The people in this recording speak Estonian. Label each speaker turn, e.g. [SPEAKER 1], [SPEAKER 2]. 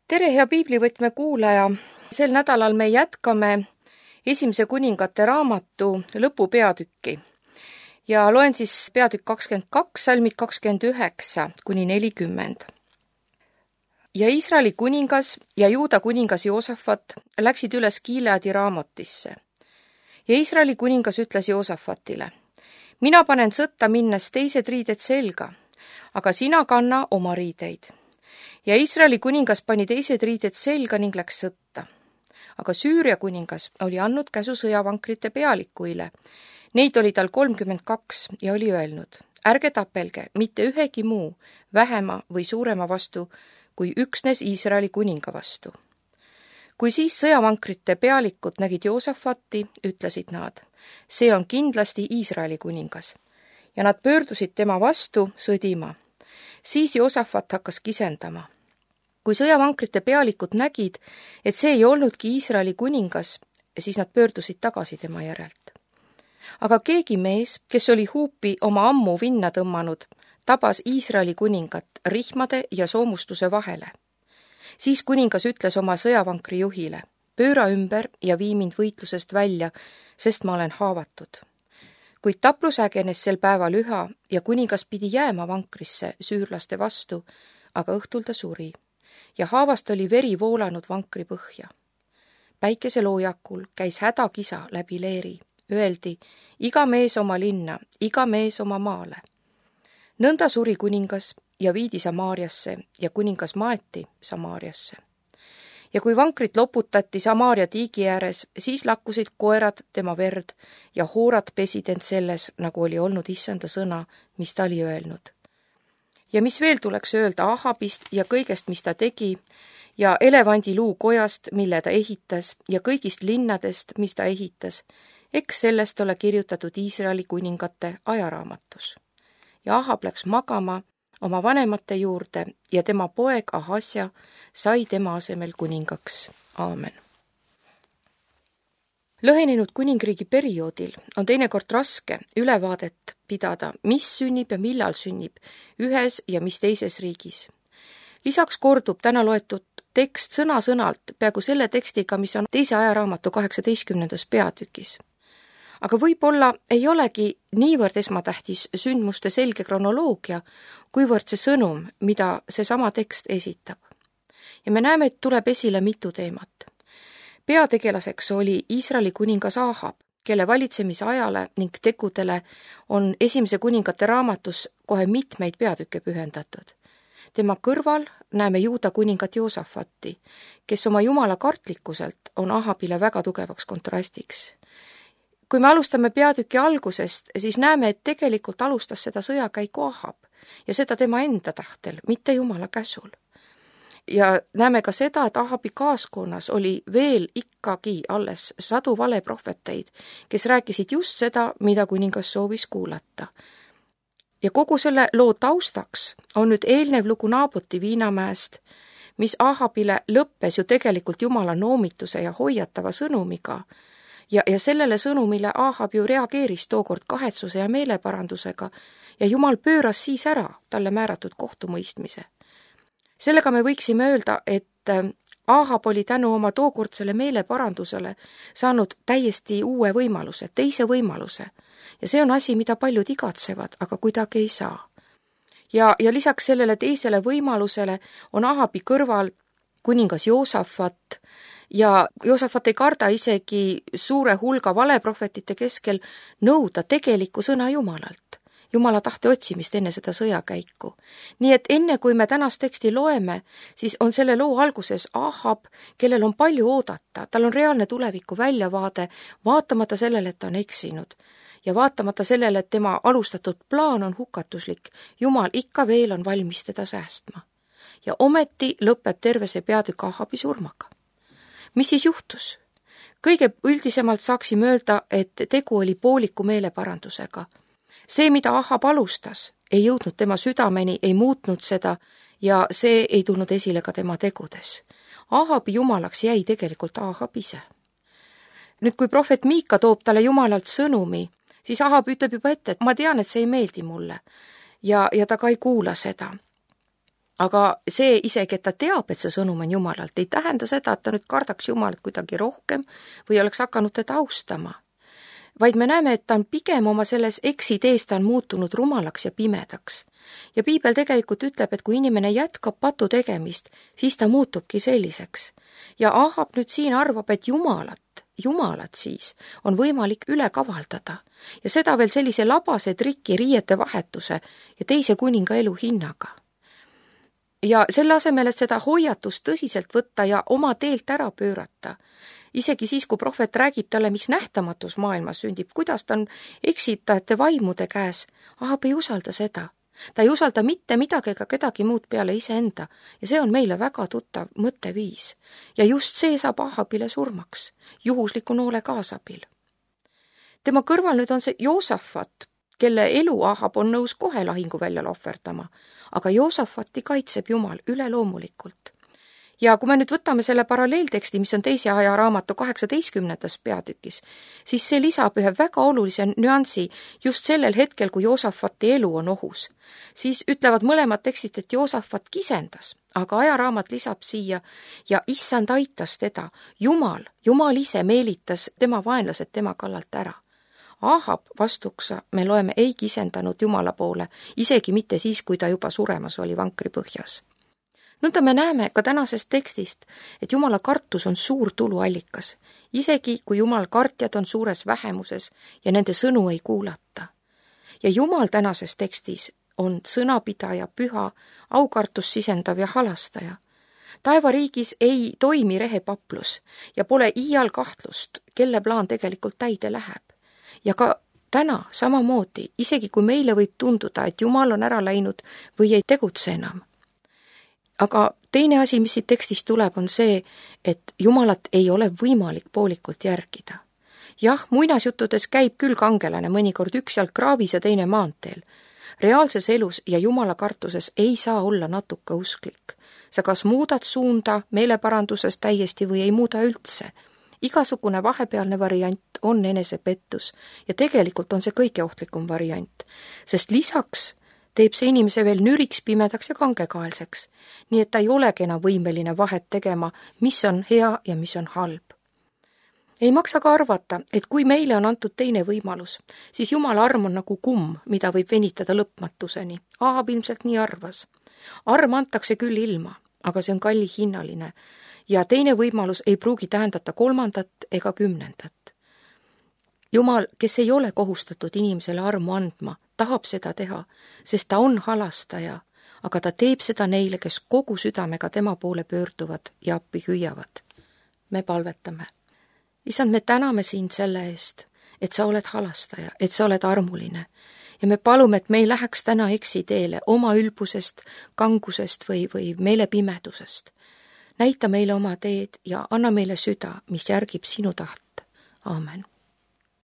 [SPEAKER 1] tere, hea piiblivõtme kuulaja! Sel nädalal me jätkame Esimese kuningate raamatu lõpupeatükki ja loen siis peatükk 22, salmid 29–40. Ja Iisraeli kuningas ja Juuda kuningas Joosafat läksid üles Gileadi Raamotisse. Ja Iisraeli kuningas ütles Joosafatile: mina panen sõtta minnes teised riided selga, aga sina kanna oma riideid. Ja Iisraeli kuningas pani teised riided selga ning läks sõtta. Aga Süüria kuningas oli andnud käsu sõjavankrite pealikuile. Neid oli tal 32 ja oli öelnud: ärge tapelge mitte ühegi muu vähema või suurema vastu, kui üksnes Iisraeli kuninga vastu. Kui siis sõjavankrite pealikud nägid Joosafati, ütlesid nad: see on kindlasti Iisraeli kuningas. Ja nad pöördusid tema vastu sõdima. Siis Joosafat hakkas kisendama. Kui sõjavankrite pealikud nägid, et see ei olnudki Iisraeli kuningas, siis nad pöördusid tagasi tema järelt. Aga keegi mees, kes oli huupi oma ammu vinna tõmmanud, tabas Iisraeli kuningat rihmade ja soomustuse vahele. Siis kuningas ütles oma sõjavankri juhile: pööra ümber ja vii mind võitlusest välja, sest ma olen haavatud. Kuid taplus ägenes sel päeval üha ja kuningas pidi jääma vankrisse süürlaste vastu, aga õhtul ta suri ja haavast oli veri voolanud vankri põhja. Päikeseloojakul käis hädakisa läbi leeri. Öeldi: iga mees oma linna, iga mees oma maale. Nõnda suri kuningas ja viidi Samaariasse ja kuningas maeti Samaariasse. Ja kui vankrit loputati Samaaria tiigi ääres, siis lakkusid koerad tema verd ja hoorad pesid end selles, nagu oli olnud issanda sõna, mis ta oli öelnud. Ja mis veel tuleks öelda Ahabist ja kõigest, mis ta tegi, ja elevandiluu kojast, mille ta ehitas, ja kõigist linnadest, mis ta ehitas, eks sellest ole kirjutatud Iisraeli kuningate ajaraamatus. Ja Ahab läks magama oma vanemate juurde ja tema poeg Ahasja sai tema asemel kuningaks. Aamen. Lõhenenud kuningriigi perioodil on teinekord raske ülevaadet pidada, mis sünnib ja millal sünnib ühes ja mis teises riigis. Lisaks kordub täna loetud tekst sõna-sõnalt peaaegu selle tekstiga, mis on teise ajaraamatu 18. peatükis. Aga võib-olla ei olegi niivõrd esmatähtis sündmuste selge kronoloogia, kuivõrd see sõnum, mida see sama tekst esitab. Ja me näeme, et tuleb esile mitu teemat. Peategelaseks oli Iisraeli kuningas Ahab, kelle valitsemise ajale ning tegudele on Esimese kuningate raamatus kohe mitmeid peatükke pühendatud. Tema kõrval näeme Juuda kuningat Joosafati, kes oma jumala kartlikkuselt on Ahabile väga tugevaks kontrastiks. Kui me alustame peatüki algusest, siis näeme, et tegelikult alustas seda sõjakäiku Ahab ja seda tema enda tahtel, mitte jumala käsul. Ja näeme ka seda, et Ahabi kaaskonnas oli veel ikkagi alles sadu valeprohveteid, kes rääkisid just seda, mida kuningas soovis kuulata. Ja kogu selle loo taustaks on nüüd eelnev lugu Naaboti viinamäest, mis Ahabile lõppes ju tegelikult jumala noomituse ja hoiatava sõnumiga, ja sellele sõnumile Ahab ju reageeris tookord kahetsuse ja meeleparandusega ja jumal pööras siis ära talle määratud kohtumõistmise. Sellega me võiksime öelda, et Ahab oli tänu oma tookordsele meeleparandusele saanud täiesti uue võimaluse, teise võimaluse. Ja see on asi, mida paljud igatsevad, aga kuidagi ei saa. Ja lisaks sellele teisele võimalusele on Ahabi kõrval kuningas Joosafat, ja Joosafat ei karda isegi suure hulga valeprohvetite keskel nõuda tegelikku sõna Jumalalt. Jumala tahte otsimist enne seda sõjakäiku. Nii et enne kui me tänast teksti loeme, siis on selle loo alguses Ahab, kellel on palju oodata, tal on reaalne tuleviku väljavaade, vaatamata sellele, et ta on eksinud. Ja vaatamata sellele, et tema alustatud plaan on hukatuslik, Jumal ikka veel on valmis teda säästma. Ja ometi lõpeb terve see peatükk Ahabi surmaga. Mis siis juhtus? Kõige üldisemalt saaksime öelda, et tegu oli pooliku meeleparandusega. See, mida Ahab alustas, ei jõudnud tema südameni, ei muutnud seda ja see ei tulnud esile ka tema tegudes. Ahabi jumalaks jäi tegelikult Ahab ise. Nüüd, kui prohvet Miika toob talle jumalalt sõnumi, siis Ahab ütleb juba ette, et ma tean, et see ei meeldi mulle ja ta ka ei kuula seda. aga see isegi, et ta teab, et see sõnum on Jumalalt, ei tähenda seda, et ta nüüd kardaks Jumalat kuidagi rohkem või oleks hakanud teda austama. Vaid me näeme, et ta on pigem oma selles eksitees, ta on muutunud rumalaks ja pimedaks. Ja piibel tegelikult ütleb, et kui inimene jätkab patu tegemist, siis ta muutubki selliseks. Ja Ahab nüüd siin arvab, et Jumalat siis on võimalik üle kavaldada. Ja seda veel sellise labase triki, riiete vahetuse ja teise kuninga elu hinnaga. Ja selle asemel, et seda hoiatust tõsiselt võtta ja oma teelt ära pöörata, isegi siis, kui prohvet räägib talle, mis nähtamatus maailmas sündib, kuidas ta on eksitajate vaimude käes, Ahab ei usalda seda. Ta ei usalda mitte midagi ega kedagi muud peale iseenda ja see on meile väga tuttav mõtteviis. Ja just see saab Ahabile surmaks, juhusliku noole kaasabil. Tema kõrval nüüd on see Joosafat, kelle elu Ahab on nõus kohe lahinguväljal ohverdama, aga Joosafati kaitseb Jumal üleloomulikult. Ja kui me nüüd võtame selle paralleelteksti, mis on teise ajaraamatu 18. peatükis, siis see lisab ühe väga olulise nüansi just sellel hetkel, kui Joosafati elu on ohus. Siis ütlevad mõlemad tekstid, et Joosafat kisendas, aga ajaraamat lisab siia ja issand aitas teda. Jumal ise meelitas tema vaenlased tema kallalt ära. Ahab vastuksa me loeme ei kisendanud Jumala poole, isegi mitte siis, kui ta juba suremas oli vankri põhjas. Nõnda me näeme ka tänasest tekstist, et Jumala kartus on suur tuluallikas, isegi kui Jumal kartjad on suures vähemuses ja nende sõnu ei kuulata. Ja Jumal tänases tekstis on sõnapidaja, püha, aukartus sisendav ja halastaja. Taevariigis ei toimi rehepaplus ja pole iial kahtlust, kelle plaan tegelikult täide läheb. Ja ka täna samamoodi, isegi kui meile võib tunduda, et Jumal on ära läinud või ei tegutse enam. Aga teine asi, mis siit tekstist tuleb, on see, et Jumalat ei ole võimalik poolikult järgida. Jah, muinasjuttudes käib küll kangelane mõnikord üks jalg kraavis ja teine maanteel. Reaalses elus ja Jumala kartuses ei saa olla natuke usklik. Sa kas muudad suunda meeleparanduses täiesti või ei muuda üldse. Igasugune vahepealne variant on enesepettus ja tegelikult on see kõige ohtlikum variant, sest lisaks teeb see inimese veel nüriks, pimedaks ja kangekaelseks, nii et ta ei olegi enam võimeline vahet tegema, mis on hea ja mis on halb. Ei maksa ka arvata, et kui meile on antud teine võimalus, siis Jumala arm on nagu kumm, mida võib venitada lõpmatuseni. Ahab ilmselt nii arvas. Arm antakse küll ilma, aga see on kallihinnaline ja teine võimalus ei pruugi tähendata 3. ega 10. Jumal, kes ei ole kohustatud inimesele armu andma, tahab seda teha, sest ta on halastaja, aga ta teeb seda neile, kes kogu südamega tema poole pöörduvad ja appi hüüavad. Me palvetame. Isand, me täname sind selle eest, et sa oled halastaja, et sa oled armuline ja me palume, et me ei läheks täna eksiteele oma ülbusest, kangusest või meelepimedusest. Näita meile oma teed ja anna meile süda, mis järgib sinu taht. Aamen.